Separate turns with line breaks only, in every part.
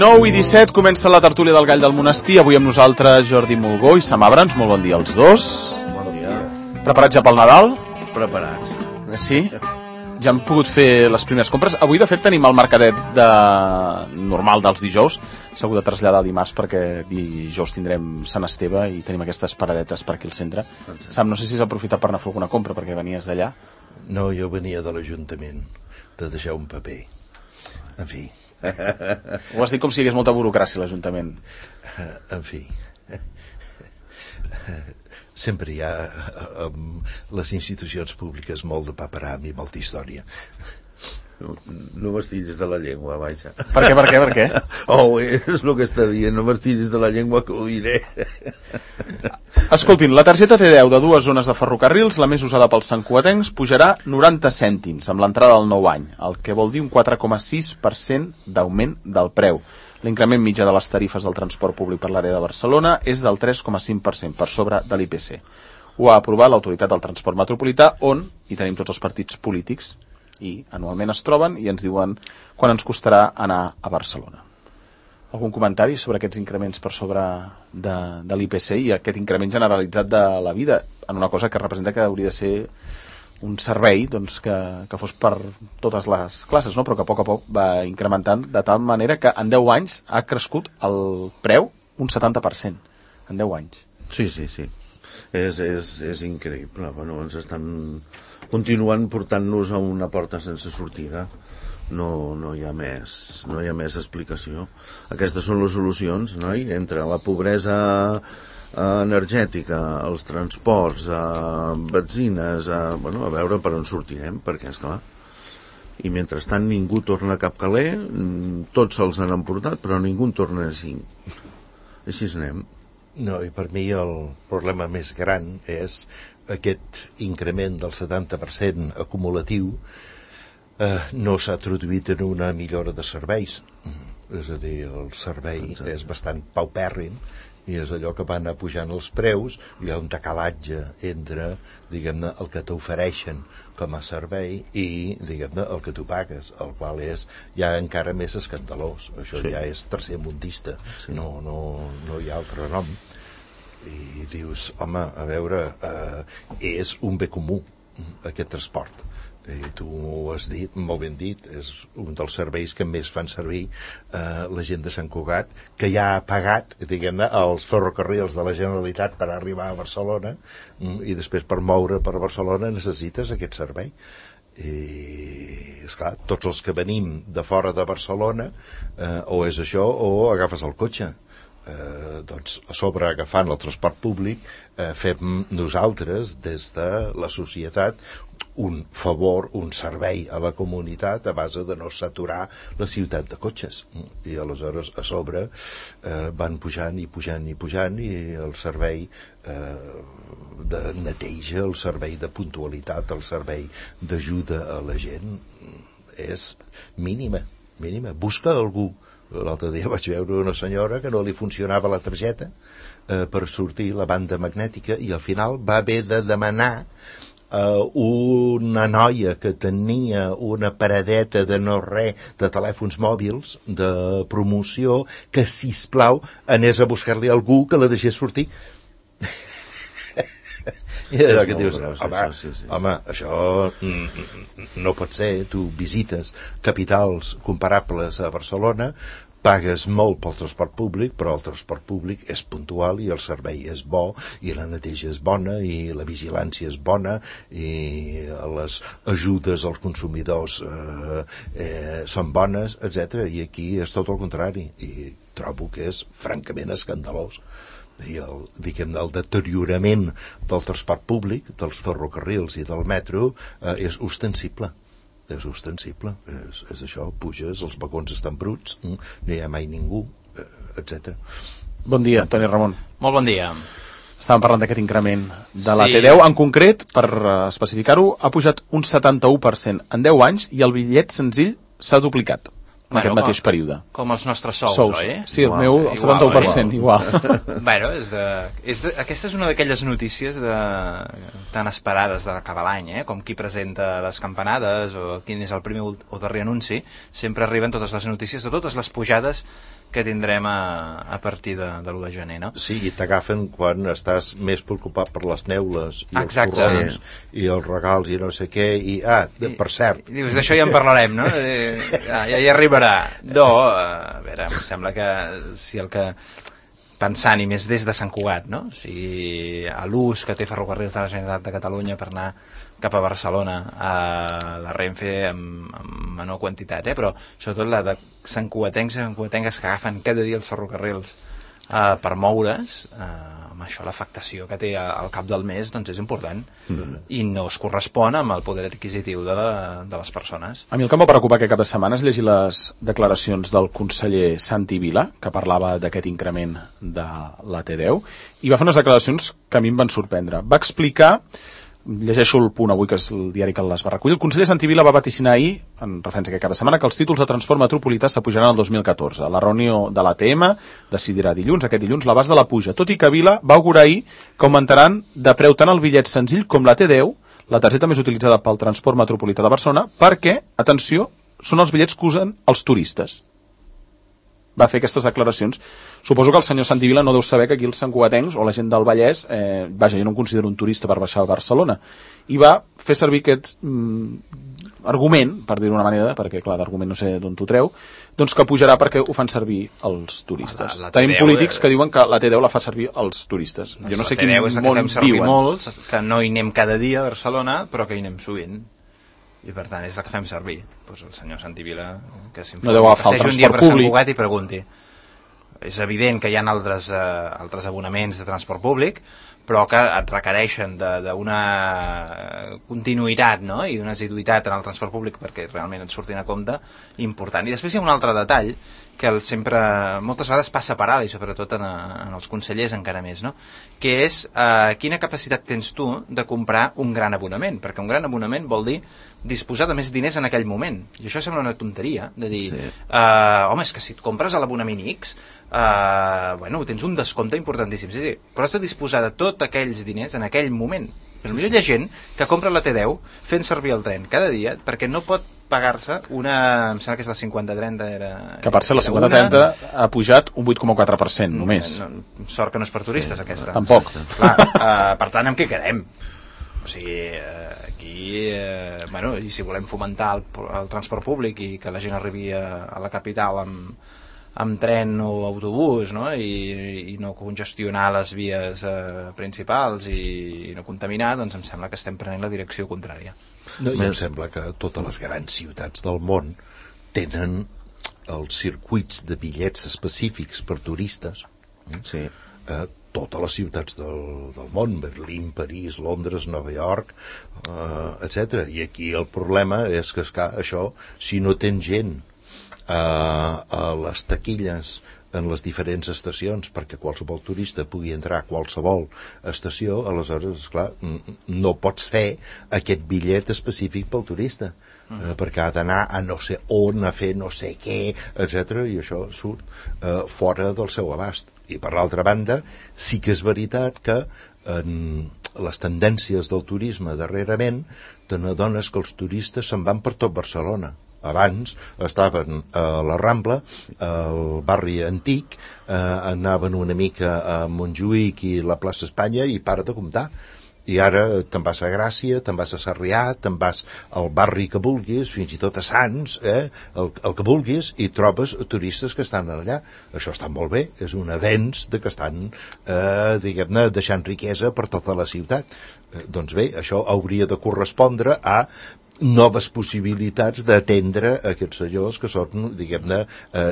9:17, comença la tertúlia del Gall del Monestir. Avui amb nosaltres Jordi Mulgó i Sam Abrams. Molt bon dia als dos.
Bon dia.
Preparats ja pel Nadal?
Preparats.
Sí? Ja hem pogut fer les primeres compres. Avui, de fet, tenim el mercadet normal dels dijous. S'ha hagut de traslladar dimarts perquè dijous tindrem Sant Esteve i tenim aquestes paradetes per aquí al centre. Sam, no sé si has aprofitat per anar a fer alguna compra perquè venies d'allà.
No, jo venia de l'Ajuntament, de deixar un paper. En fi.
Ho has dit com si hi hagués molta burocràcia a l'Ajuntament.
En fi. Sempre hi ha les institucions públiques molt de paperam i molta història.
No m'estillis de la llengua, vaja.
Per què?
Oh, és el que està dient, no m'estillis de la llengua, que ho diré.
Escoltin, la targeta T10 de 2 zones de ferrocarrils, la més usada pels santcugatencs, pujarà 90 cèntims amb l'entrada del nou any, el que vol dir un 4,6% d'augment del preu. L'increment mitjà de les tarifes del transport públic per l'àrea de Barcelona és del 3,5% per sobre de l'IPC. Ho ha aprovat l'Autoritat del Transport Metropolità, on hi tenim tots els partits polítics i anualment es troben i ens diuen quan ens costarà anar a Barcelona. Algun comentari sobre aquests increments per sobre de l'IPC i aquest increment generalitzat de la vida en una cosa que representa que hauria de ser un servei doncs, que fos per totes les classes, no? Però que a poc va incrementant de tal manera que en 10 anys ha crescut el preu un 70% en 10 anys.
Sí. És increïble. Bueno, ens estan continuant portant-nos a una porta sense sortida. No hi ha més explicació. Aquestes són les solucions, no? Entre la pobresa energètica, els transports, benzines, a veure per on sortirem, perquè és clar. I mentrestant ningú torna cap caler, tots se'ls han emportat, però ningú en torna així. Així anem.
No, i per mi el problema més gran és aquest increment del 70% acumulatiu no s'ha traduït en una millora de serveis. És a dir, el servei és bastant paupèrrim i és allò que van pujant els preus, hi ha un decalatge entre, diguem-ne, el que t'ofereixen com a servei i, diguem-ne, el que tu pagues, el qual és ja encara més escandalós. Això ja és tercermundista, no hi ha altre nom. I dius, home, a veure, és un bé comú, aquest transport. I tu ho has dit, molt ben dit, és un dels serveis que més fan servir la gent de Sant Cugat, que ja ha pagat, diguem-ne, els ferrocarrils de la Generalitat per arribar a Barcelona, i després per moure per Barcelona necessites aquest servei. I, esclar, tots els que venim de fora de Barcelona, o és això o agafes el cotxe. Doncs a sobre agafant el transport públic fem nosaltres des de la societat un favor, un servei a la comunitat a base de no saturar la ciutat de cotxes, i aleshores a sobre van pujant i el servei de neteja, el servei de puntualitat, el servei d'ajuda a la gent és mínima. Busca algú. L'altre dia vaig veure una senyora que no li funcionava la targeta per sortir la banda magnètica i al final va haver de demanar una noia que tenia una paradeta de no res de telèfons mòbils de promoció que, sisplau, anés a buscar-li algú que la deixés sortir. I allò que dius, home, això no pot ser. Tu visites capitals comparables a Barcelona, pagues molt pel transport públic, però el transport públic és puntual i el servei és bo i la neteja és bona i la vigilància és bona i les ajudes als consumidors són bones, etc. I aquí és tot el contrari i trobo que és francament escandalós. I el deteriorament del transport públic, dels ferrocarrils i del metro és ostensible. És això, puges, els vagons estan bruts, no hi ha mai ningú, etc.
Bon dia, Toni Ramon.
Molt bon dia.
Estàvem parlant d'aquest increment de la T10. En concret, per especificar-ho, ha pujat un 71% en 10 anys i el bitllet senzill s'ha duplicat en aquest mateix període.
Com els nostres sous, oi?
Sí, el meu, el 71%, igual.
Bueno, aquesta és una d'aquelles notícies tan esperades d'acabar l'any, com qui presenta les campanades o quin és el primer o darrer anunci. Sempre arriben totes les notícies de totes les pujades que tindrem a partir de l'1 de gener, no?
Sí, i t'agafen quan estàs més preocupat per les neules i
Exacte.
els corrons i els regals i no sé què, per cert...
I dius, d'això ja en parlarem, no? Ja hi arribarà. No, a veure, em sembla que si el que pensant, i més des de Sant Cugat, no? O sigui, a l'ús que té Ferrocarrils de la Generalitat de Catalunya per anar cap a Barcelona, a la Renfe amb menor quantitat, però sobretot la de santcugatencs i santcugatenques que agafen cada dia els ferrocarrils per moure's, amb això l'afectació que té al cap del mes doncs és important i no es correspon amb el poder adquisitiu de les persones.
A mi el que em va preocupar aquest cap de setmana és llegir les declaracions del conseller Santi Vila, que parlava d'aquest increment de la T10, i va fer unes declaracions que a mi em van sorprendre. Va explicar, llegeixo el Punt avui, que és el diari que les va recollir, el conseller Santi Vila va vaticinar ahir, en referència a aquest cap de setmana, que els títols de transport metropolità s'apujaran el 2014. La reunió de l'ATM decidirà dilluns, aquest dilluns, l'abast de la puja, tot i que Vila va augurar ahir que augmentaran de preu tant el bitllet senzill com la T10, la targeta més utilitzada pel transport metropolità de Barcelona, perquè, atenció, són els bitllets que usen els turistes. Va fer aquestes declaracions. Suposo que el senyor Santi Vila no deu saber que aquí els santcugatencs o la gent del Vallès, vaja, jo no em considero un turista per baixar a Barcelona, i va fer servir aquest argument, per dir-ho d'una manera, perquè clar, d'argument no sé d'on t'ho treu, doncs que pujarà perquè ho fan servir els turistes. Tenim polítics que diuen que la T10 la fa servir els turistes.
Doncs
jo no sé quin món
viuen. La T10 és la que fem servir molts, que no hi anem cada dia a Barcelona, però que hi anem sovint. I per tant és la que fem servir. Pues el senyor Santi Vila, que
no deu agafar el transport públic,
Sant Cugat i pregunti. És evident que hi ha altres abonaments de transport públic, però que et requereixen d'una continuïtat, no? I una assiduïtat en el transport públic perquè realment et surtin a compte important. I després hi ha un altre detall que moltes vegades passa per alt, i sobretot en els consellers encara més, no? Que és quina capacitat tens tu de comprar un gran abonament, perquè un gran abonament vol dir disposar de més diners en aquell moment, i això sembla una tonteria de dir, home, és que si et compres l'abonament X tens un descompte importantíssim, sí, però has de disposar de tots aquells diners en aquell moment. Però potser hi ha gent que compra la T10 fent servir el tren cada dia perquè no pot pagar-se una, em sembla que és la 50-30
que per ser la 50-30 ha pujat un 8,4% només.
Sort que no és per turistes aquesta.
Tampoc.
Clar, per tant, amb què quedem? O sigui, aquí i si volem fomentar el transport públic i que la gent arribi a la capital amb tren o autobús, no? I no congestionar les vies principals i no contaminar, doncs em sembla que estem prenent la direcció contrària.
No, i em sembla que totes les grans ciutats del món tenen els circuits de bitllets específics per turistes.
Sí.
Totes les ciutats del món, Berlín, París, Londres, Nova York, etc. I aquí el problema és que això, si no tens gent a les taquilles en les diferents estacions perquè qualsevol turista pugui entrar a qualsevol estació, aleshores, esclar, no pots fer aquest bitllet específic pel turista, perquè ha d'anar a no sé on, a fer no sé què, etc. I això surt fora del seu abast. I per l'altra banda, sí que és veritat que en les tendències del turisme darrerament te n'adones que els turistes se'n van per tot Barcelona. Abans estaven a la Rambla, al barri antic, anaven una mica a Montjuïc i la plaça Espanya i para de comptar. I ara te'n vas a Gràcia, te'n vas a Sarrià, te'n vas al barri que vulguis, fins i tot a Sants, el que vulguis, i trobes turistes que estan allà. Això està molt bé, és un avenç de que estan, diguem-ne, deixant riquesa per tota la ciutat. Doncs bé, això hauria de correspondre a noves possibilitats d'atendre aquests senyors que són, diguem-ne,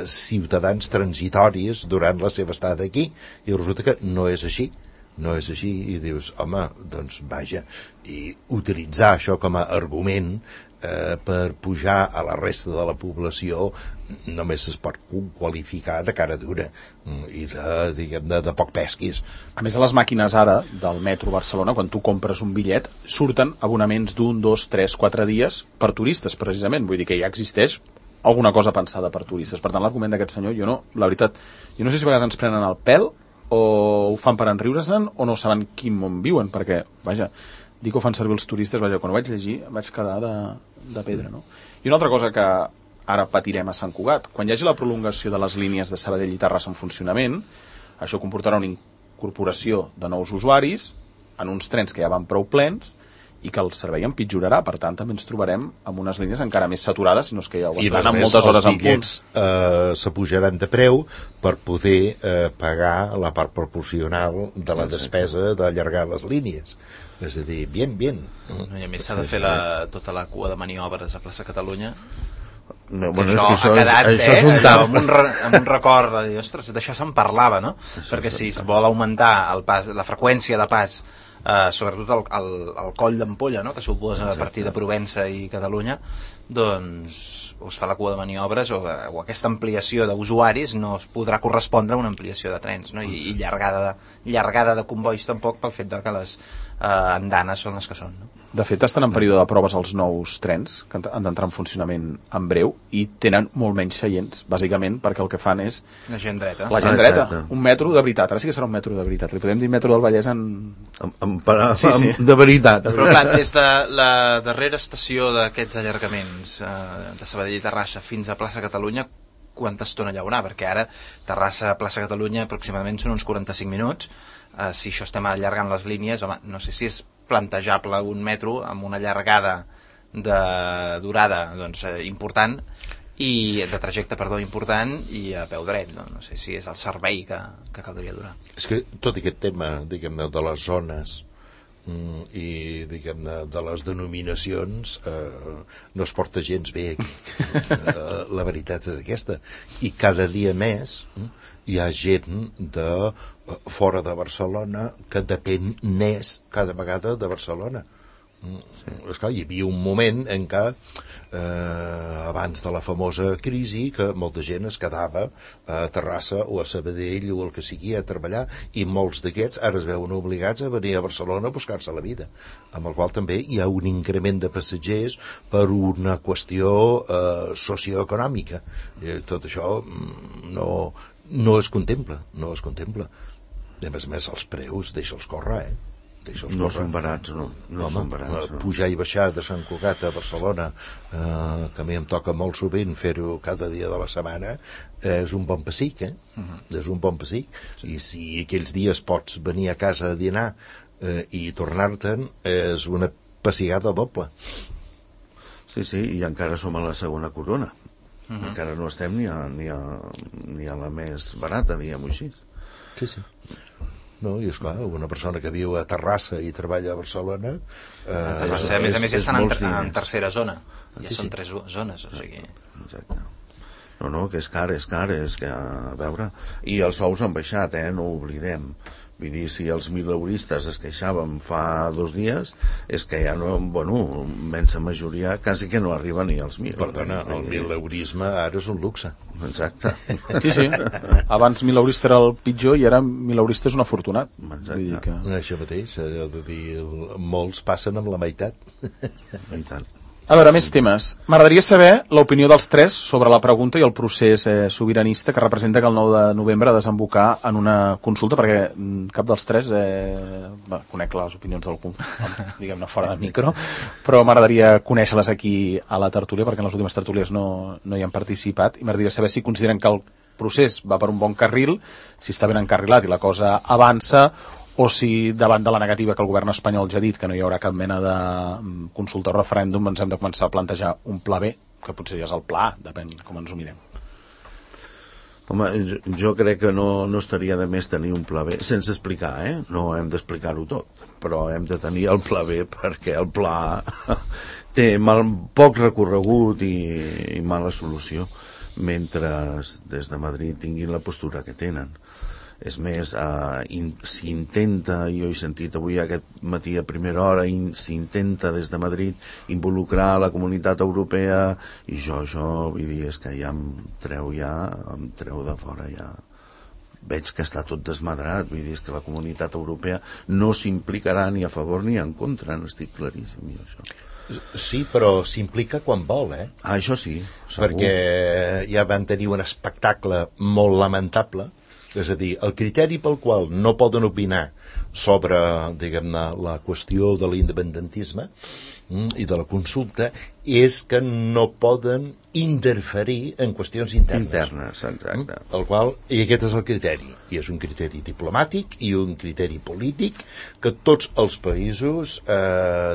ciutadans transitoris durant la seva estada aquí, i resulta que no és així, i dius, home, doncs vaja, i utilitzar això com a argument per pujar a la resta de la població només es pot qualificar de cara dura i diguem-ne, de poc pesquis.
A més, a les màquines ara del metro Barcelona, quan tu compres un bitllet, surten abonaments d'1, 2, 3, 4 dies per turistes, precisament. Vull dir que ja existeix alguna cosa pensada per turistes. Per tant, l'argument d'aquest senyor, la veritat, jo no sé si a vegades ens prenen el pèl o ho fan per enriure-se'n o no saben quin món viuen, perquè, vaja, dir que ho fan servir els turistes, vaja, quan ho vaig llegir vaig quedar de pedra, no? I una altra cosa que ara patirem a Sant Cugat. Quan hi hagi la prolongació de les línies de Sabadell i Terrassa en funcionament, això comportarà una incorporació de nous usuaris en uns trens que ja van prou plens i que el servei empitjorarà. Per tant, també ens trobarem amb unes línies encara més saturades, si no és que ja ho estan amb moltes hores en punt.
I els bitllets s'apujaran de preu per poder pagar la part proporcional de la despesa d'allargar les línies. És a dir, bien.
I a més s'ha de fer tota la cua de maniobres a plaça Catalunya.
No,
bueno, això ha quedat, això és un tap. Amb un record de dir, ostres, d'això se'n parlava, no? Perquè si es vol augmentar la freqüència de pas, sobretot el coll d'ampolla, no? Que suposa a partir de Provença i Catalunya, doncs es fa la cua de maniobres o aquesta ampliació d'usuaris no es podrà correspondre a una ampliació de trens, no? I llargada de convois tampoc, pel fet que les andanes són les que són, no?
De fet, estan en període de proves els nous trens, que han d'entrar en funcionament en breu, i tenen molt menys seients, bàsicament perquè el que fan és...
La gent dreta.
Un metro de veritat. Ara sí que serà un metro de veritat. Li podem dir metro del Vallès
sí. De veritat.
Però clar, des de la darrera estació d'aquests allargaments de Sabadell i Terrassa fins a plaça Catalunya, quanta estona hi haurà? Perquè ara Terrassa a plaça Catalunya aproximadament són uns 45 minuts. Si això estem allargant les línies, home, no sé si és plantejable un metro amb una llargada de durada important i de trajecte, important, i a peu dret, no sé si és el servei que caldria donar.
És que tot aquest tema, diguem-ne, de les zones i, diguem-ne, de les denominacions no es porta gens bé aquí. La veritat és aquesta. I cada dia més hi ha gent de fora de Barcelona que depèn més cada vegada de Barcelona. Esclar, hi havia un moment en què abans de la famosa crisi que molta gent es quedava a Terrassa o a Sabadell o el que sigui a treballar, i molts d'aquests ara es veuen obligats a venir a Barcelona a buscar-se la vida, amb el qual també hi ha un increment de passatgers per una qüestió socioeconòmica. Tot això no es contempla. A més, els preus deixa'ls córrer,
no són barats, no són barats.
Pujar i baixar de Sant Cugat a Barcelona, que a mi em toca molt sovint fer-ho cada dia de la setmana, és un bon pessic, és un bon pessic. I si aquells dies pots venir a casa a dinar i tornar-te'n, és una pessigada doble.
Sí, i encara som a la segona corona. Encara no estem ni a la més barata, diguem-ho així.
Sí. No, i esclar, una persona que viu a Terrassa i treballa a Barcelona...
Terrassa, a més, estan en tercera zona. Ja són 3 zones, o sigui...
Exacte. No, que és car, és que, a veure... I els sous han baixat, no ho oblidem. Vull dir, si els mileuristes es queixaven fa 2 dies, és que ja no, immensa majoria, quasi que no arriba ni als 1.000.
Perdona, el mileurisme ara és un luxe.
Exacte.
Sí. Abans mileurista era el pitjor i ara mileurista és un afortunat.
Exacte.
Això mateix, allò de dir, molts passen amb la meitat.
I tant.
A veure, més temes. M'agradaria saber l'opinió dels 3 sobre la pregunta i el procés sobiranista que representa que el 9 de novembre desembocar en una consulta, perquè cap dels 3 conec les opinions d'algú, diguem-ne fora de micro, però m'agradaria conèixer-les aquí a la tertúlia, perquè en les últimes tertúlies no hi han participat, i m'agradaria saber si consideren que el procés va per un bon carril, si està ben encarrilat i la cosa avança, o si davant de la negativa que el govern espanyol ja ha dit que no hi haurà cap mena de consulta o referèndum, ens hem de començar a plantejar un pla B, que potser ja és el pla A, depèn com ens ho mirem.
Home, jo crec que no estaria de més tenir un pla B, sense explicar, no hem d'explicar-ho tot, però hem de tenir el pla B perquè el pla A té poc recorregut i mala solució, mentre des de Madrid tinguin la postura que tenen. És més, s'intenta, jo he sentit avui aquest matí a primera hora, s'intenta des de Madrid involucrar la comunitat europea, i jo vull dir, és que ja em treu de fora, ja veig que està tot desmadrat, vull dir, és que la comunitat europea no s'implicarà ni a favor ni en contra, n'estic claríssim, jo, això.
Sí, però s'implica quan vol,
això sí, segur.
Perquè ja van tenir un espectacle molt lamentable És a dir, el criteri pel qual no poden opinar sobre, diguem-ne, la qüestió de l'independentisme i de la consulta és que no poden interferir en qüestions internes.
Exacte.
I aquest és el criteri. I és un criteri diplomàtic i un criteri polític que tots els països,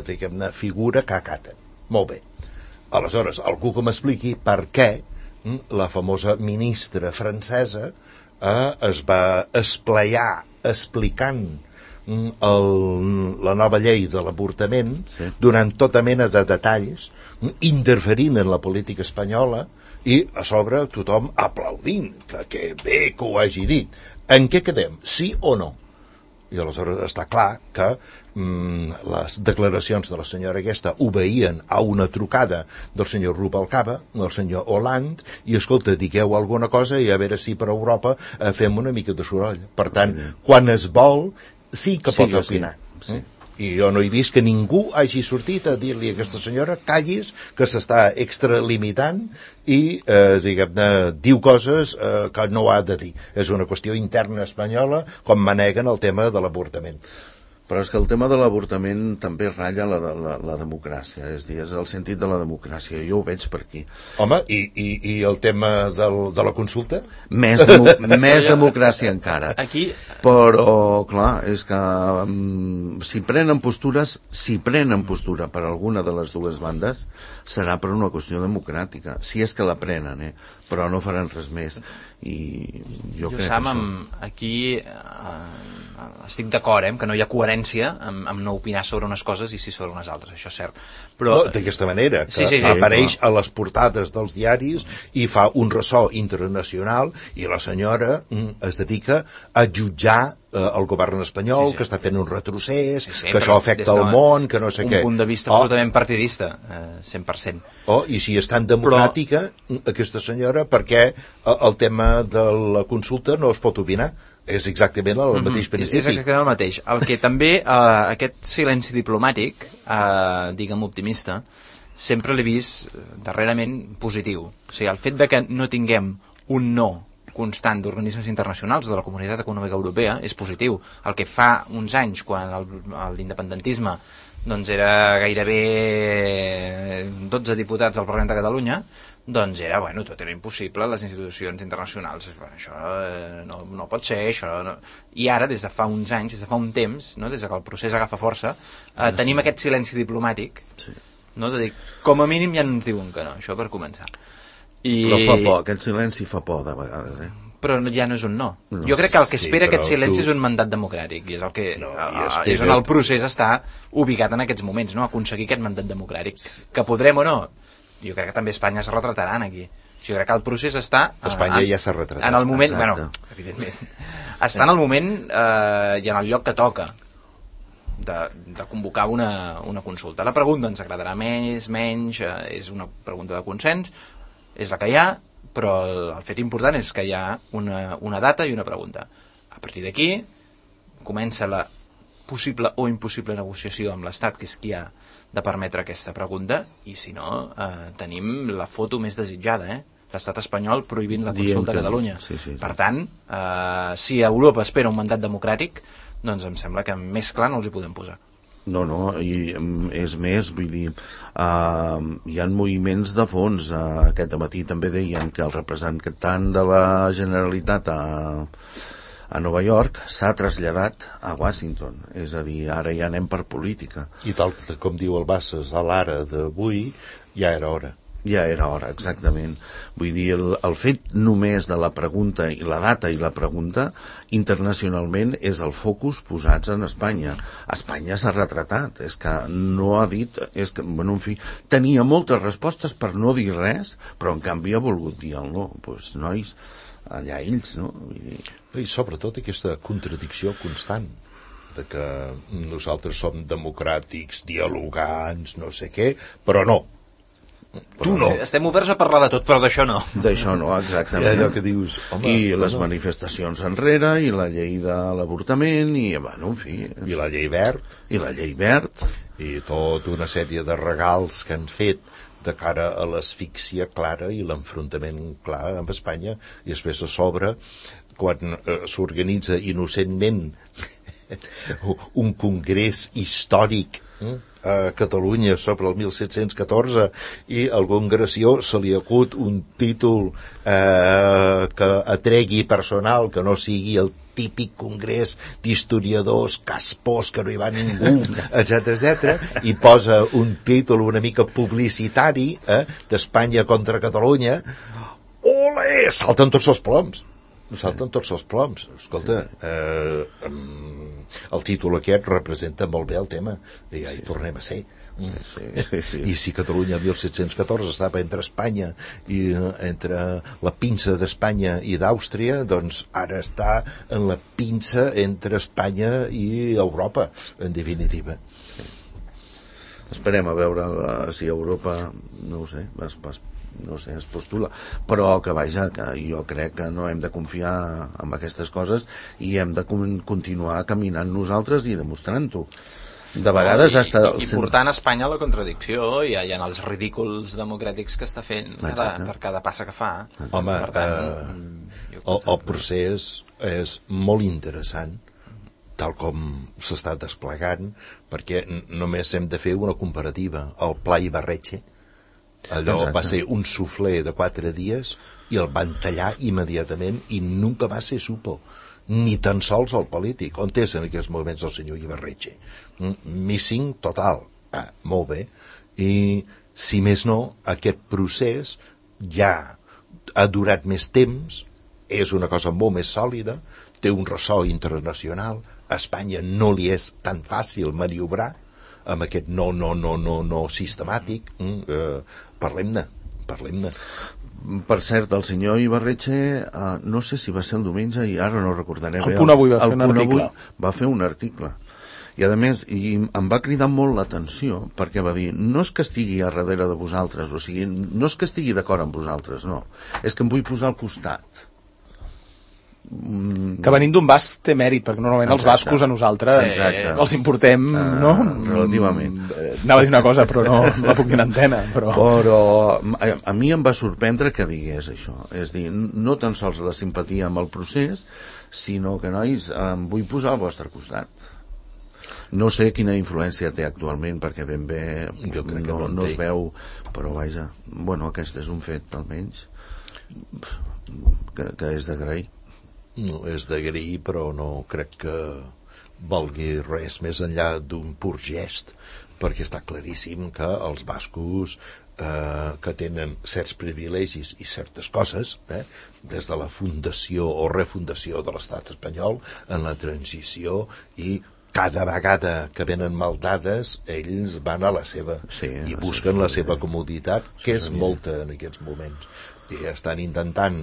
diguem-ne, figura que acaten. Molt bé. Aleshores, algú que m'expliqui per què la famosa ministra francesa es va esplaiar explicant la nova llei de l'avortament donant tota mena de detalls, interferint en la política espanyola i a sobre tothom aplaudint que bé que ho hagi dit. En què quedem? Sí o no? I aleshores està clar que les declaracions de la senyora aquesta obeïen a una trucada del senyor Rubalcaba, del senyor Hollande, i escolta, digueu alguna cosa i a veure si per Europa fem una mica de soroll. Per tant, quan es vol, sí que pot opinar. Sí. I jo no he vist que ningú hagi sortit a dir-li a aquesta senyora callis, que s'està extralimitant i, diguem-ne, diu coses que no ha de dir. És una qüestió interna espanyola, com maneguen el tema de l'avortament.
Però és que el tema de l'avortament també ratlla la democràcia, és a dir, és el sentit de la democràcia, jo ho veig per aquí.
Home, i el tema de la consulta?
Més democràcia encara.
Aquí...
Però, clar, és que si prenen postura per alguna de les dues bandes, serà per una qüestió democràtica, si és que la prenen, però no faran res més. I jo crec
Sam,
que
aquí estic d'acord, que no hi ha coherència amb no opinar sobre unes coses i sí sobre unes altres, això és cert. Però...
No, d'aquesta manera, que apareix a les portades dels diaris i fa un ressò internacional i la senyora es dedica a jutjar el govern espanyol, que està fent un retrocés, que això afecta el món, que no sé què.
Un punt de vista absolutament partidista, 100%.
I si és tan democràtica, aquesta senyora, perquè el tema de la consulta no es pot opinar? És exactament el mateix principi.
És exactament el mateix. El que també, aquest silenci diplomàtic, diguem optimista, sempre l'he vist darrerament positiu. O sigui, el fet de que no tinguem un no constant d'organismes internacionals de la Comunitat Econòmica Europea és positiu. El que fa uns anys, quan l'independentisme doncs era gairebé 12 diputats al Parlament de Catalunya, doncs era, tot era impossible, les institucions internacionals, això no pot ser, això no... I ara, des de fa uns anys, des de fa un temps, des de que el procés agafa força, tenim aquest silenci diplomàtic, de dir, com a mínim ja no ens diuen que no, això per començar.
Però fa por, aquest silenci fa por de vegades,
Però ja no és un no. Jo crec que el que espera aquest silenci és un mandat democràtic, i és el que és on el procés està ubicat en aquests moments, aconseguir aquest mandat democràtic. Que podrem o no? Jo crec que també Espanya es retrataran aquí. Jo crec que el procés està...
Espanya ja s'ha retratat.
En el moment... evidentment. Està en el moment i en el lloc que toca de convocar una consulta. La pregunta ens agradarà més, menys, és una pregunta de consens, és la que hi ha, però el fet important és que hi ha una data i una pregunta. A partir d'aquí comença la possible o impossible negociació amb l'Estat, que és qui ha de permetre aquesta pregunta, i si no, tenim la foto més desitjada, l'Estat espanyol prohibint la consulta a Catalunya.
Sí.
Per tant, si Europa espera un mandat democràtic, doncs em sembla que més clar no els hi podem posar.
No, i és més, vull dir, hi ha moviments de fons. Aquest matí també deien que el representant de la Generalitat a Nova York s'ha traslladat a Washington, és a dir, ara ja anem per política.
I tal com diu el Bassas a l'ara d'avui, ja era hora.
Ja era hora, exactament. Vull dir, el fet només de la pregunta i la data i la pregunta internacionalment és el focus posats en Espanya. Espanya s'ha retratat, és que no ha dit, és que, en fi, tenia moltes respostes per no dir res, però en canvi ha volgut dir el no. Doncs, nois, allà ells, no? Vull dir...
I sobretot aquesta contradicció constant de que nosaltres som democràtics, dialogants, no sé què, però no. Tu no.
Estem oberts a parlar de tot, però d'això no.
D'això no, exactament.
I allò que dius, home,
i les manifestacions enrere, i la llei de l'avortament, i, en fi...
I la llei verd.
I la llei verd.
I tota una sèrie de regals que han fet de cara a l'asfíxia clara i l'enfrontament clar amb Espanya, i després a sobre quan s'organitza innocentment un congrés històric a Catalunya sobre el 1714 i a algun gració se li acut un títol que atregui personal, que no sigui el típic congrés d'historiadors caspós que no hi va ningú, etc, i posa un títol una mica publicitari d'Espanya contra Catalunya. Olé! Salten tots els ploms. Escolta, el títol aquest representa molt bé el tema i ja hi tornem a ser. Sí. I si Catalunya el 1714 estava entre Espanya i entre la pinça d'Espanya i d'Àustria, doncs ara està en la pinça entre Espanya i Europa, en definitiva.
Esperem a veure si Europa, no ho sé, es postula, però que vaja, que jo crec que no hem de confiar en aquestes coses i hem de continuar caminant nosaltres i demostrant-ho. De vegades
i portant Espanya a la contradicció i en els ridículs democràtics que està fent per cada passa que fa.
Home, per tant, el procés és molt interessant tal com s'està desplegant, perquè només hem de fer una comparativa. El Pla Ibarretxe, allò va ser un suflé de 4 dies i el van tallar immediatament i nunca va ser supo, ni tan sols el polític. On és en aquests moments el senyor Ibarretxe? Missing total. Molt bé. I si més no, aquest procés ja ha durat més temps, és una cosa molt més sòlida, té un ressò internacional, a Espanya no li és tan fàcil maniobrar amb aquest no sistemàtic. Parlem-ne.
Per cert, el senyor Ibarretxe, no sé si va ser el diumenge i ara no recordaré bé.
El Punt Avui va fer un article.
Va fer un article. I a més, em va cridar molt l'atenció perquè va dir, no és que estigui a darrere de vosaltres, o sigui, no és que estigui d'acord amb vosaltres, no. És que em vull posar al costat.
Que venint d'un basc té mèrit, perquè normalment els bascos a nosaltres els importem, no?
Relativament.
Anava a dir una cosa, però no la puc dir en antena. Però
a mi em va sorprendre que digués això. És dir, no tan sols la simpatia amb el procés, sinó que, nois, em vull posar al vostre costat. No sé quina influència té actualment, perquè ben bé no es veu, però vaja, bueno, aquest és un fet, almenys, que és d'agrair.
No, és d'agrair, però no crec que valgui res més enllà d'un pur gest, perquè està claríssim que els bascos que tenen certs privilegis i certes coses, des de la fundació o refundació de l'estat espanyol en la transició, i cada vegada que venen mal dades ells van a la seva i busquen la seva comoditat, que és molta en aquests moments, i estan intentant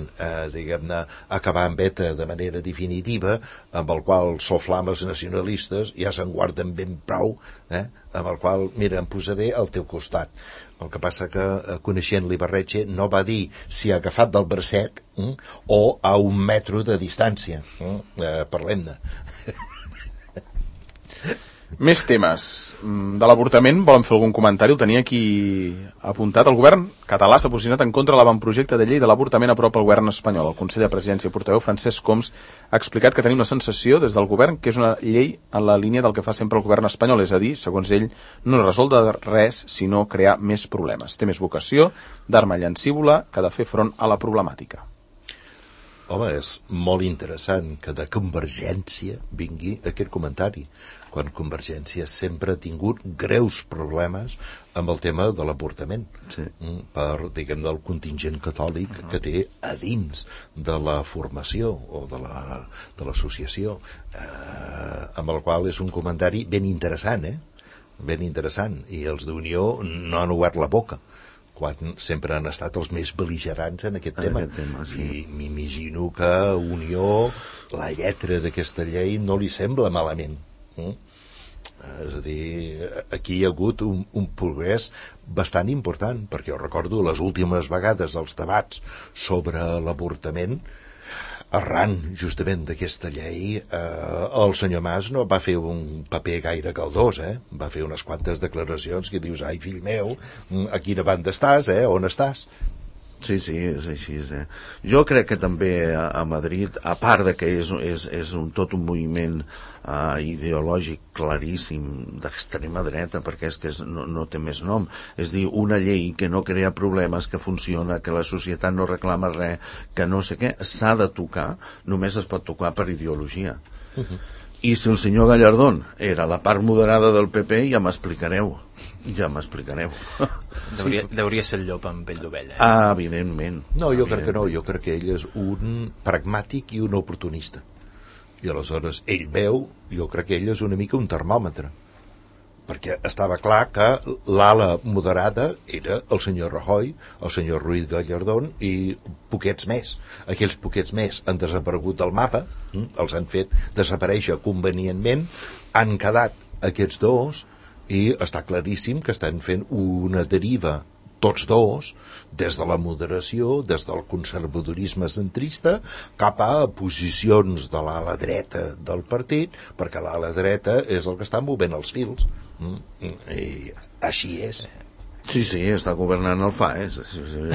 diguem-ne acabar amb ETA de manera definitiva, amb el qual soflames nacionalistes ja se'n guarden ben prou, amb el qual, mira, em posaré al teu costat. El que passa que, coneixent l'Ibarretxe, no va dir si ha agafat del bracet o a 1 metro de distància. Parlem-ne.
Més temes. De l'avortament, volen fer algun comentari? El tenia aquí apuntat. El govern català s'ha posicionat en contra de l'avantprojecte de llei de l'avortament aprovat pel govern espanyol. El conseller de Presidència i portaveu Francesc Homs ha explicat que tenim la sensació des del govern que és una llei en la línia del que fa sempre el govern espanyol, és a dir, segons ell, no resol de res, sinó crear més problemes. Té més vocació d'arma llancívola que de fer front a la problemàtica.
Home, és molt interessant que de Convergència vingui aquest comentari, quan Convergència sempre ha tingut greus problemes amb el tema de l'avortament, per, diguem, del contingent catòlic que té a dins de la formació o de l'associació, amb el qual és un comentari ben interessant, ben interessant, i els d'Unió no han obert la boca, quan sempre han estat els més bel·ligerants en aquest tema. I m'imagino que a Unió la lletra d'aquesta llei no li sembla malament. És a dir, aquí hi ha hagut un progrés bastant important, perquè jo recordo les últimes vegades dels debats sobre l'avortament, arran justament d'aquesta llei, el senyor Mas no va fer un paper gaire caldós, va fer unes quantes declaracions que dius, ai fill meu, a quina banda estàs, on estàs?
Sí, és així. Jo crec que també a Madrid, a part de que és tot un moviment ideològic claríssim d'extrema dreta, perquè és que no té més nom, és dir, una llei que no crea problemes, que funciona, que la societat no reclama res, que no sé què, s'ha de tocar, només es pot tocar per ideologia. I si el senyor Gallardón era la part moderada del PP, ja m'explicareu.
Deuria ser el llop amb pell d'ovella.
Evidentment.
No, jo crec que no, jo crec que ell és un pragmàtic i un oportunista. I aleshores ell veu, jo crec que ell és una mica un termòmetre, perquè estava clar que l'ala moderada era el senyor Rajoy, el senyor Ruiz Gallardón i poquets més. Aquells poquets més han desaparegut del mapa, els han fet desaparèixer convenientment, han quedat aquests dos i està claríssim que estan fent una deriva tots dos, des de la moderació, des del conservadorisme centrista, cap a posicions de l'ala dreta del partit, perquè l'ala dreta és el que està movent els fils. I així és.
Sí, està governant el FAES,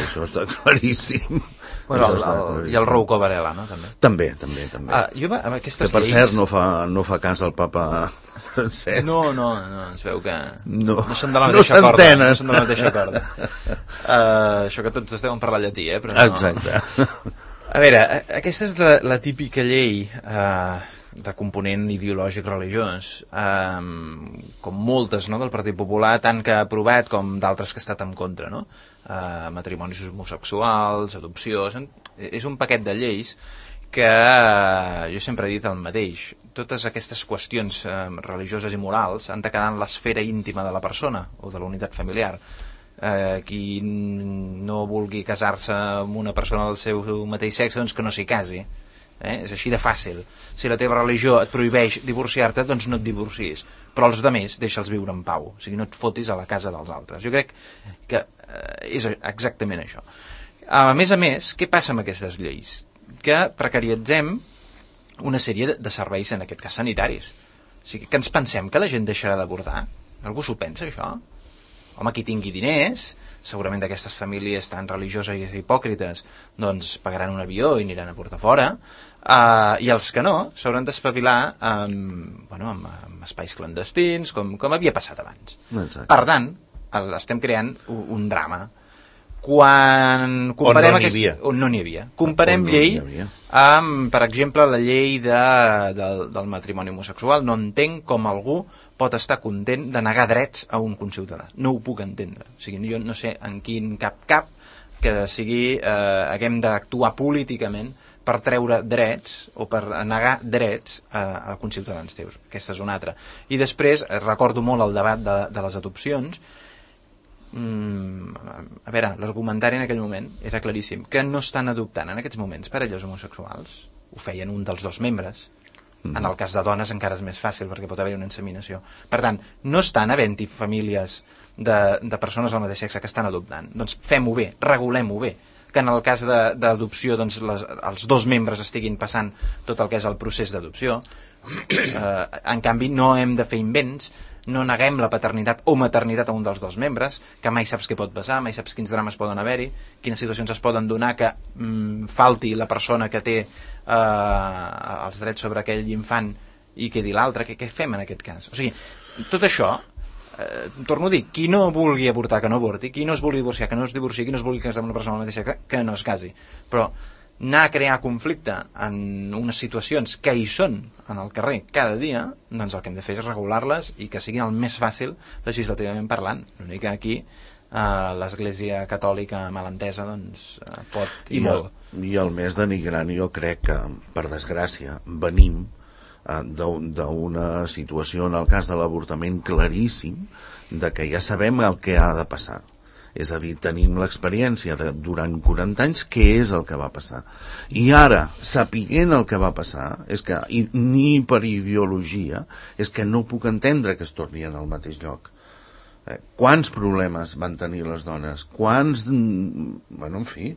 això està claríssim.
Bueno, i el Rouco Varela, no?
També.
Jo, amb aquestes
que per
lleis...
cert no fa cas al papa Francesc.
No, es veu que
no
són de la mateixa corda. No són de la mateixa corda. Això que tots deuen parlar llatí, però no.
Exacte.
A veure, aquesta és la típica llei de component ideològic religiós, com moltes, no, del Partit Popular, tant que ha aprovat com d'altres que ha estat en contra, no? Matrimonis homosexuals, adopció... És un paquet de lleis que jo sempre he dit el mateix. Totes aquestes qüestions religioses i morals han de quedar en l'esfera íntima de la persona o de la unitat familiar. Qui no vulgui casar-se amb una persona del seu mateix sexe, doncs que no s'hi casi. És així de fàcil. Si la teva religió et prohibeix divorciar-te, doncs no et divorcis, però els altres deixa'ls viure en pau, o sigui, no et fotis a la casa dels altres. Jo crec que és exactament això. A més, què passa amb aquestes lleis? Que precaritzem una sèrie de serveis, en aquest cas sanitaris. O sigui, que ens pensem que la gent deixarà d'avortar? Algú s'ho pensa, això? Home, qui tingui diners, segurament d'aquestes famílies tan religioses i hipòcrites, doncs pagaran un avió i aniran a portar fora, i els que no s'hauran d'espavilar amb espais clandestins, com havia passat abans.
Exacte.
Per tant, estem creant un drama. Quan comparem on no n'hi havia. Comparem llei amb, per exemple, la llei del matrimoni homosexual. No entenc com algú pot estar content de negar drets a un conciutadà. No ho puc entendre. O sigui, jo no sé en quin cap que sigui haguem d'actuar políticament per treure drets o per negar drets a conciutadans teus. Aquesta és una altra. I després recordo molt el debat de les adopcions. A veure, l'argumentari en aquell moment era claríssim, que no estan adoptant en aquests moments parelles homosexuals. Ho feien un dels dos membres. En el cas de dones encara és més fàcil perquè pot haver-hi una inseminació. Per tant, no estan havent-hi famílies de persones del mateix sexe que estan adoptant. Doncs fem-ho bé, regulem-ho bé, que en el cas d'adopció doncs, els dos membres estiguin passant tot el que és el procés d'adopció. En canvi, no hem de fer invents, no neguem la paternitat o maternitat a un dels dos membres, que mai saps què pot passar, mai saps quins drames poden haver-hi, quines situacions es poden donar que falti la persona que té els drets sobre aquell infant i quedi l'altre. Què fem en aquest cas? O sigui, tot això, torno a dir, qui no vulgui avortar que no avorti, qui no es vulgui divorciar que no es divorci, qui no es vulgui casar amb una persona mateixa que no es casi, però anar a crear conflicte en unes situacions que hi són en el carrer cada dia, doncs el que hem de fer és regular-les i que siguin el més fàcil legislativament parlant. L'únic que aquí l'Església Catòlica malentesa doncs pot i molt.
I el més denigrant, jo crec que, per desgràcia, venim d'una situació, en el cas de l'avortament, claríssim, de que ja sabem el que ha de passar. És a dir, tenim l'experiència durant 40 anys què és el que va passar. I ara, sapiguent el que va passar, és que, ni per ideologia, és que no puc entendre que es torni al mateix lloc. Quants problemes van tenir les dones? Quants... Bueno, en fi,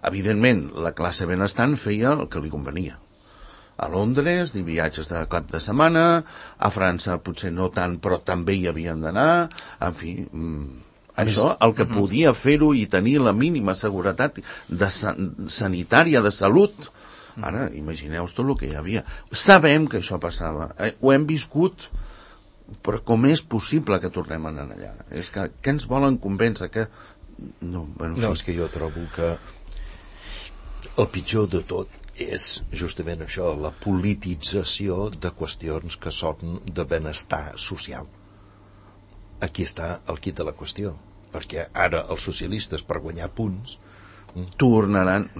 evidentment, la classe benestant feia el que li convenia. A Londres, viatges de cap de setmana, a França potser no tant, però també hi havien d'anar, en fi... Això, el que podia fer-ho i tenir la mínima seguretat sanitària, de salut. Ara, imagineu-vos tot el que hi havia. Sabem que això passava, ho hem viscut, però com és possible que tornem a anar allà? És que ens volen convèncer que... No,
és que jo trobo que el pitjor de tot és justament això, la politització de qüestions que són de benestar social. Aquí està el quid de la qüestió, perquè ara els socialistes, per guanyar punts,
tornaran,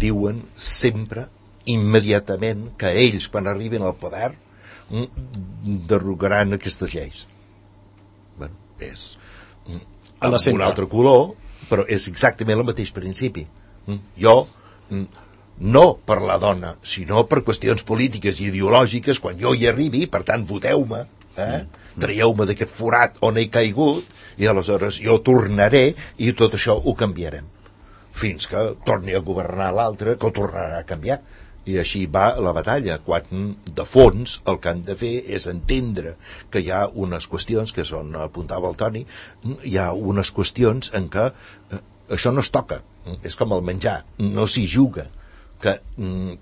diuen sempre, immediatament, que ells, quan arribin al poder, derogaran aquestes lleis. Bueno, és amb un altre color, però és exactament el mateix principi. Jo, no per la dona, sinó per qüestions polítiques i ideològiques, quan jo hi arribi, per tant, voteu-me, traieu-me d'aquest forat on he caigut, i aleshores jo tornaré i tot això ho canviarem. Fins que torni a governar l'altre, que ho tornarà a canviar. I així va la batalla, quan de fons el que han de fer és entendre que hi ha unes qüestions, que són, apuntava el Toni, hi ha unes qüestions en què això no es toca, és com el menjar, no s'hi juga, que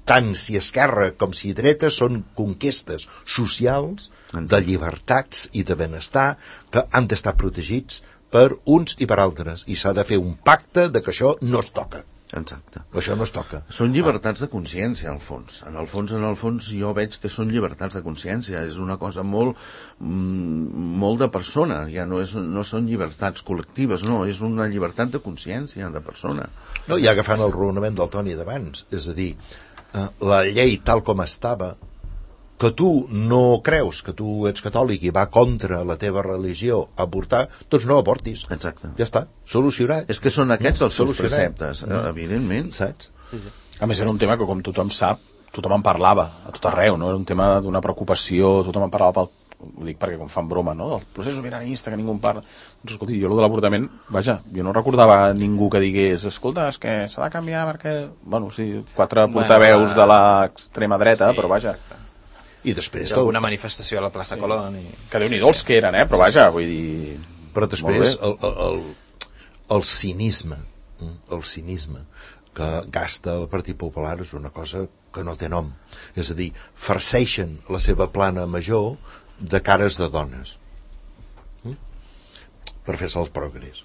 tant si esquerra com si dreta són conquestes socials de llibertats i de benestar que han d'estar protegits per uns i per altres, i s'ha de fer un pacte de que això no es toca.
Exacte.
Això no es toca.
Són llibertats de consciència, al fons. En el fons jo veig que són llibertats de consciència. És una cosa molt de persona. Ja no són llibertats col·lectives, no. És una llibertat de consciència, de persona.
No, i agafant el raonament del Toni d'abans, és a dir, la llei tal com estava, que tu no creus, que tu ets catòlic i va contra la teva religió avortar, doncs no avortis.
Exacte.
Ja està, solucionat.
És que són aquests els seus preceptes, evidentment.
Saps?
Sí. A més, era un tema que, com tothom sap, tothom en parlava a tot arreu, no? Era un tema d'una preocupació, tothom en parlava ho dic perquè com fan broma, no? Del procés sobiranista, que ningú en parla. Doncs, escolti, jo de l'avortament, vaja, jo no recordava ningú que digués, escolta, és que s'ha de canviar perquè... Bueno, sí, 4 portaveus de l'extrema dreta, però vaja...
I després
alguna manifestació a la plaça Colón
que Déu-n'hi-do els que eren, però vaja, vull dir...
Però després el cinisme que gasta el Partit Popular és una cosa que no té nom, és a dir, farceixen la seva plana major de cares de dones per fer-se els progrés,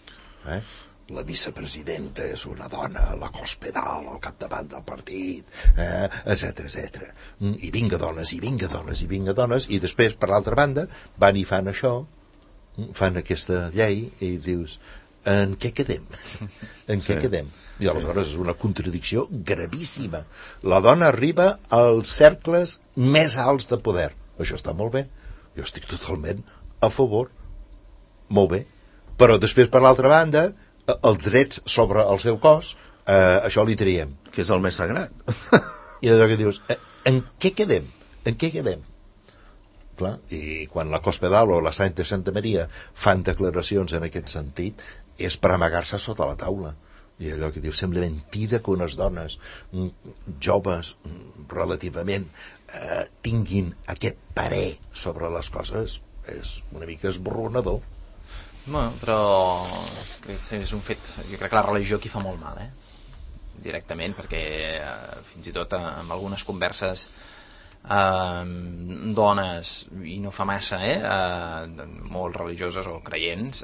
la vicepresidenta és una dona, la Cospedal al capdavant del partit, etc. I vinga dones, i vinga dones, i vinga dones, i després, per l'altra banda, van i fan això, fan aquesta llei, i dius, en què quedem? En què quedem? I aleshores és una contradicció gravíssima. La dona arriba als cercles més alts de poder. Això està molt bé. Jo estic totalment a favor. Molt bé. Però després, per l'altra banda, els drets sobre el seu cos, això li traiem.
Que és el més sagrat.
I allò que dius, en què quedem? En què quedem? Clar, i quan la Cospedal o la Santa Maria fan declaracions en aquest sentit, és per amagar-se sota la taula. I allò que dius, sembla mentida que unes dones joves relativament tinguin aquest parer sobre les coses. És una mica esborronador.
Bueno, però és un fet, jo crec que la religió aquí fa molt mal, directament, perquè fins i tot amb algunes converses dones, i no fa massa, molt religioses o creients,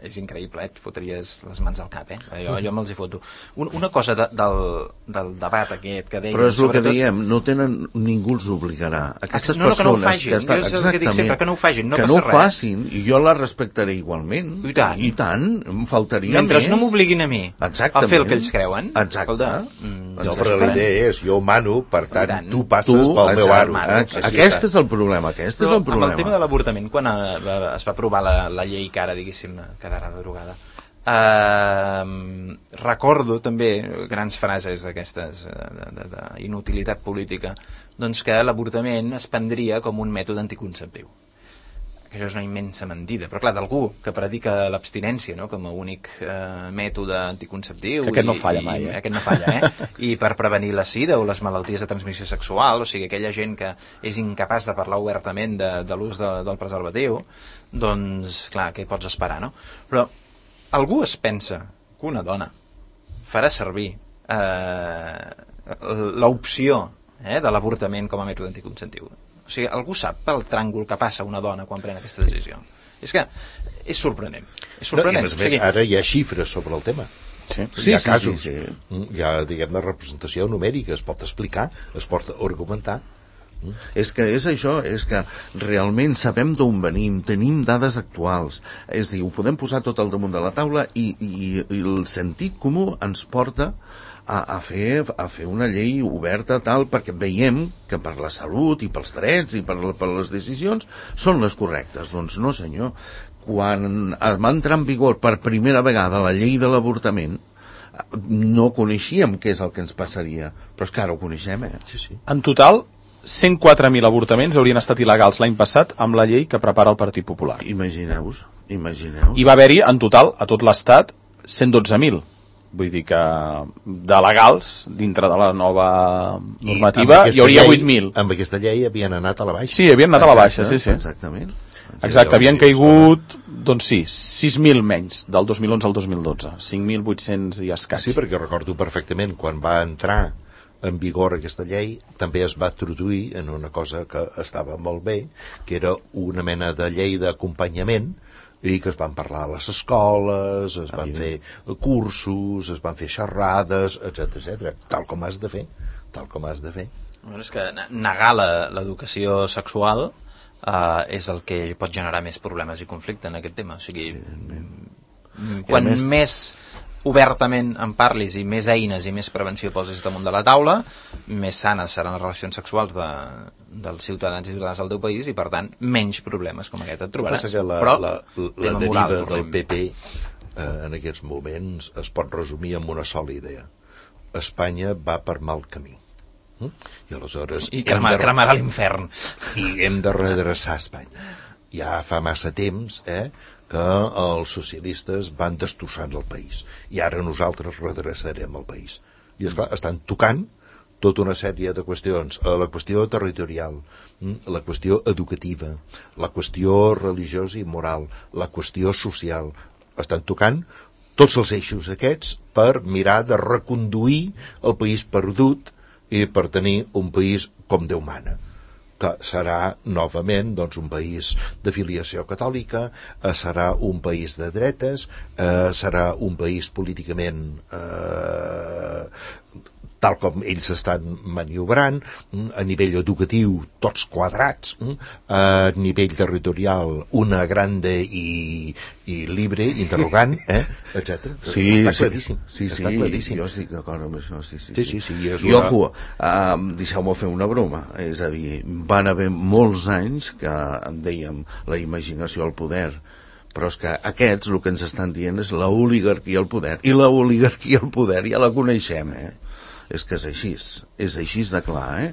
és increïble, et fotries les mans al cap, jo me'ls hi foto. Una cosa del debat aquest que deien...
Però és el que diem, no tenen, ningú els obligarà. Aquestes
persones...
que
no ho facin, jo és el que dic sempre, que no ho facin, no passa res.
Que no ho facin, i jo la respectaré igualment.
I tant,
em faltaria
mentre
més.
no m'obliguin a mi a fer el que ells creuen.
Exacte.
Però la idea és, jo mano, per tant, tu passes pel meu aro.
Aquest és el problema,
Amb el tema de l'avortament, quan es va aprovar la llei que ara, diguéssim, quedarà derogada, recordo també grans frases d'aquestes d'inutilitat política, doncs que l'avortament es prendria com un mètode anticonceptiu, que això és una immensa mentida, però clar, d'algú que predica l'abstinència, no?, com a únic mètode anticonceptiu,
que aquest no falla mai,
aquest no falla, i per prevenir la sida o les malalties de transmissió sexual, o sigui, aquella gent que és incapaç de parlar obertament de l'ús del preservatiu, doncs clar, què pots esperar, no? Però algú es pensa que una dona farà servir l'opció de l'avortament com a mètode anticonceptiu? O sigui, algú sap pel tràngol que passa una dona quan pren aquesta decisió? És que és sorprenent. És sorprenent.
No, i a més, ara hi ha xifres sobre el tema.
Sí,
Hi ha casos.
Sí.
Hi ha, diguem-ne, representació numèrica, es pot explicar, es pot argumentar.
És que és això, és que realment sabem d'on venim, tenim dades actuals, és a dir, ho podem posar tot al damunt de la taula i el sentit comú ens porta a fer una llei oberta tal, perquè veiem que per la salut i pels drets i per les decisions són les correctes. Doncs no, senyor. Quan va entrar en vigor per primera vegada la llei de l'avortament, no coneixíem què és el que ens passaria, però és que ara ho coneixem,
Sí.
En total, 104.000 avortaments haurien estat il·legals l'any passat amb la llei que prepara el Partit Popular.
Imagineu-vos.
I va haver-hi, en total, a tot l'estat, 112.000. Vull dir que de legals, dintre de la nova normativa, hi hauria 8.000.
Amb aquesta llei havien anat a la baixa.
Sí, havien anat a la baixa, sí.
Exactament.
Exacte, havien caigut, doncs sí, 6.000 menys, del 2011 al 2012. 5.800 i escaig.
Sí, perquè recordo perfectament, quan va entrar en vigor aquesta llei, també es va introduir en una cosa que estava molt bé, que era una mena de llei d'acompanyament, i que es van parlar a les escoles, es van fer cursos, es van fer xerrades, etc, tal com has de fer.
Bueno, és que negar l'educació sexual és el que pot generar més problemes i conflicte en aquest tema. O sigui, quan més obertament en parlis i més eines i més prevenció posis damunt de la taula, més sanes seran les relacions sexuals dels ciutadans i ciutadanes del teu país i, per tant, menys problemes com aquest et trobaràs.
Però la deriva del PP en aquests moments es pot resumir amb una sola idea. Espanya va per mal camí. I aleshores
cremarà l'infern.
I hem de redreçar Espanya. Ja fa massa temps que els socialistes van destrossant el país i ara nosaltres redreçarem el país. I esclar, estan tocant tota una sèrie de qüestions, la qüestió territorial, la qüestió educativa, la qüestió religiosa i moral, la qüestió social. Estan tocant tots els eixos aquests per mirar de reconduir el país perdut i per tenir un país com Déu mana, que serà novament doncs, un país de filiació catòlica, serà un país de dretes, serà un país políticament tal com ells estan maniobrant, a nivell educatiu tots quadrats, a nivell territorial una grande i libre, interrogant, etc.
Sí,
està claríssim.
Està claríssim. Jo estic d'acord amb això, sí.
I
ojo, deixeu-me fer una broma, és a dir, van haver molts anys que en dèiem la imaginació al poder, però és que aquests el que ens estan dient és la oligarquia al poder, i la oligarquia al poder ja la coneixem, és que és així de clar,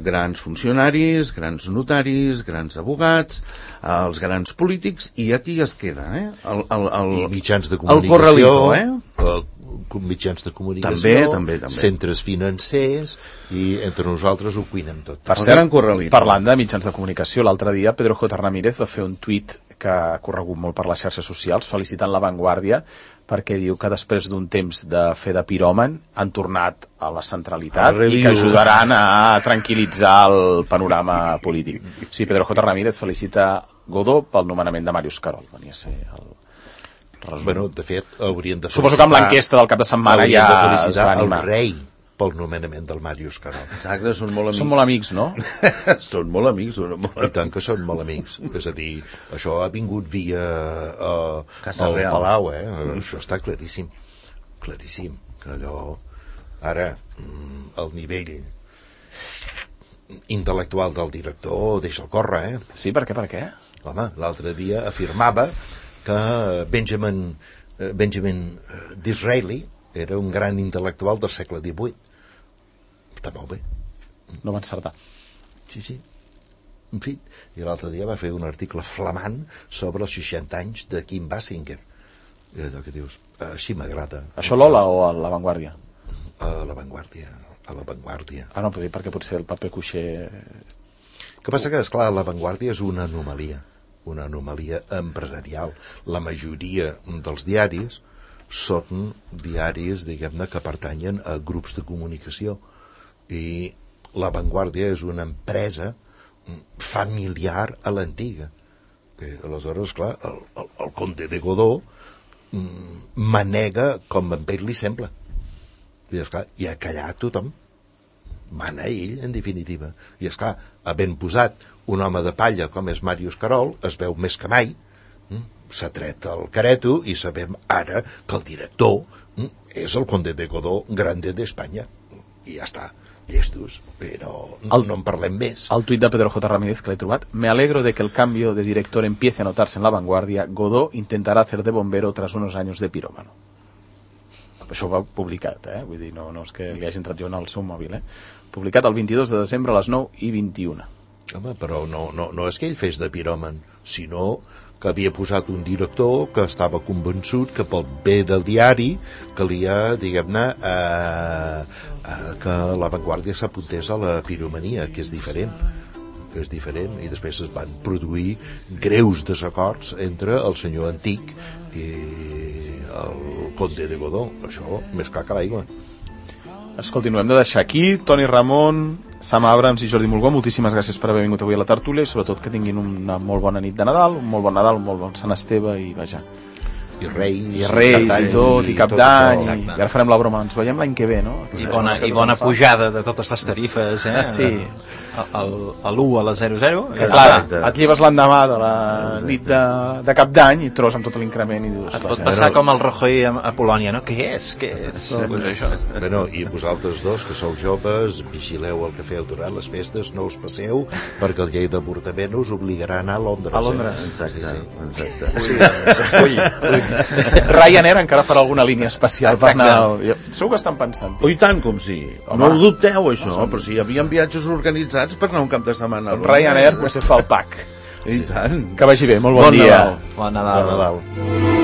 grans funcionaris, grans notaris, grans abogats, els grans polítics, i aquí es queda,
i mitjans de
el corralito,
mitjans de comunicació,
també.
Centres financers, i entre nosaltres ho cuinem tot.
Per cert, parlant de mitjans de comunicació, l'altre dia Pedro J. Ramírez va fer un tuit que ha corregut molt per les xarxes socials felicitant La Vanguardia perquè diu que després d'un temps de fer de piròman han tornat a la centralitat i que ajudaran a tranquil·litzar el panorama polític. Sí, Pedro J. Ramírez felicita Godó pel nomenament de Màrius Carol. Venia a ser el resum.
Bueno, de fet, haurien de felicitar...
Suposo que amb l'enquesta del cap de setmana ja
de felicitar
es va animar.
El rei pel nomenament del Màrius Carol.
Exacte, són molt amics.
Són molt amics, no?
Són molt amics.
I tant que són molt amics. És a dir, això ha vingut via
Casa
el
Real.
Palau, Això està claríssim. Claríssim. Que allò... Ara, el nivell intel·lectual del director deixa'l córrer,
Sí, per què?
Home, l'altre dia afirmava que Benjamin Disraeli era un gran intel·lectual del segle XVIII. Està molt bé.
No va encertar.
Sí. En fi, i l'altre dia va fer un article flamant sobre els 60 anys de Kim Basinger. I allò que dius, així m'agrada.
Això l'Ola o a La Vanguardia?
A La Vanguardia.
No, perquè potser el paper cuixer...
El que passa que, esclar, La Vanguardia és una anomalia. una anomalia empresarial. La majoria dels diaris són diaris, diguem-ne, que pertanyen a grups de comunicació, i La Vanguardia és una empresa familiar a l'antiga. Aleshores, clar, el Conde de Godó manega com a ell li sembla. I, esclar, i a callar tothom. Mana ell, en definitiva. I, esclar, havent posat un home de palla com és Màrius Carol, es veu més que mai. S'ha tret el careto i sabem ara que el director és el Conde de Godó Grande d'Espanya. I ja està. Llestos, però no en parlem més.
El tuit de Pedro J. Ramírez, que l'he trobat: me alegro de que el cambio de director empiece a notarse en La Vanguardia. Godó intentará hacer de bombero tras unos años de pirómano. Això ho va publicat, vull dir, no és que li hagi entrat jo en el seu mòbil, publicat el 22 de desembre a les 9:21.
Home, però no és que ell fes de piròman, sinó que havia posat un director que estava convençut que pel bé del diari calia, diguem-ne, que La Vanguardia s'apuntés a la piromania, que és diferent, i després es van produir greus desacords entre el senyor Antic i el Conde de Godó. Això més clar que l'aigua.
Escolti, no hem de deixar aquí. Toni Ramon, Sam Abrams i Jordi Mulgó, moltíssimes gràcies per haver vingut avui a la tertúlia, i sobretot que tinguin una molt bona nit de Nadal, un molt bon Nadal, un molt bon Sant Esteve, i vaja,
i Reis
i tot, i Cap d'Any, i ara farem la broma, ens veiem l'any que ve, no?
I bona pujada de totes les tarifes,
sí.
A l'1 a la 00.
Clar, et lleves l'endemà de la nit de Cap d'Any i trobes amb tot l'increment i dius...
Et pot passar com el Rajoy a Polònia, no? Què és? Pues això.
Bueno, i vosaltres dos, que sou joves, vigileu el que feu durant les festes, no us passeu, perquè el llei d'avortament us obligarà a anar a Londres.
A Londres.
Exacte.
Ryanair encara farà alguna línia especial per anar... Segur que estan pensant.
I tant com sí. No ho dubteu, això, però si hi havia viatges organitzats per anar un cap de setmana.
Ryanair potser fa el pack.
I tant.
Que vagi bé, molt bon dia.
Bon Nadal.
Bon Nadal.